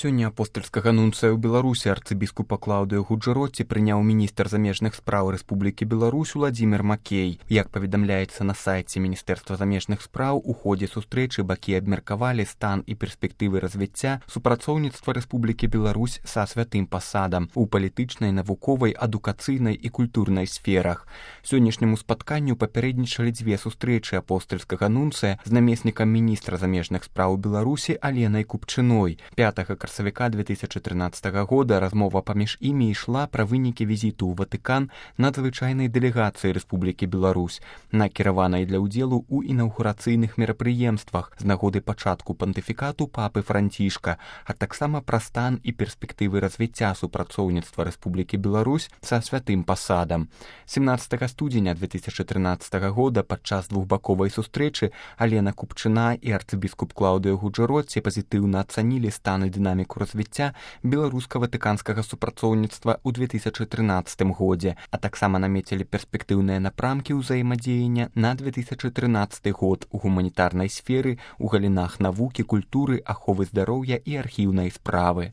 Сёння апостальскага нунцыя ў Беларусі арцыбіскупа Клаўдыю Гуджэротці прыняў міністр замежных спраў Рэспублікі Беларусь Уладзімір Макей. Як паведамляецца на сайце Міністэрства замежных спраў, у ходзе сустрэчы бакі абмеркавалі стан і перспектывы развіцця супрацоўніцтва Рэспублікі Беларусь са святым пасадам у палітычнай, навуковай, адукацыйнай і культурнай сферах. Сённяшняму спатканню папярэднічалі дзве сустрэчы апостальскага нунцыя з намеснікам міністра замежных спраў Беларусі Аленай Купчыной. 5 красавіка 2013 года размова паміж імі ішла пра вынікі візіту ў Ватыкан надзвычайнай дэлегацыі Рэспублікі Беларусь, накіраванай для ўдзелу ў інаўгурацыйных мерапрыемствах з нагоды пачатку пантыфікату папы Францішка, а таксама пра стан і перспектывы развіцця супрацоўніцтва Рэспублікі Беларусь са святым пасадам. 17 студзеня 2013 года падчас двухбаковай сустрэчы Алена Купчына і арцыбіскуп Клаўдыю Гуджэротці пазітыўна ацанілі стан і дынаміку развіцця беларуска-ватыканскага супрацоўніцтва ў 2013 годзе, а таксама намецілі перспектыўныя напрамкі ўзаемадзеяння на 2013 год у гуманітарнай сферы, у галінах навукі, культуры, аховы здароўя і архіўнай справы.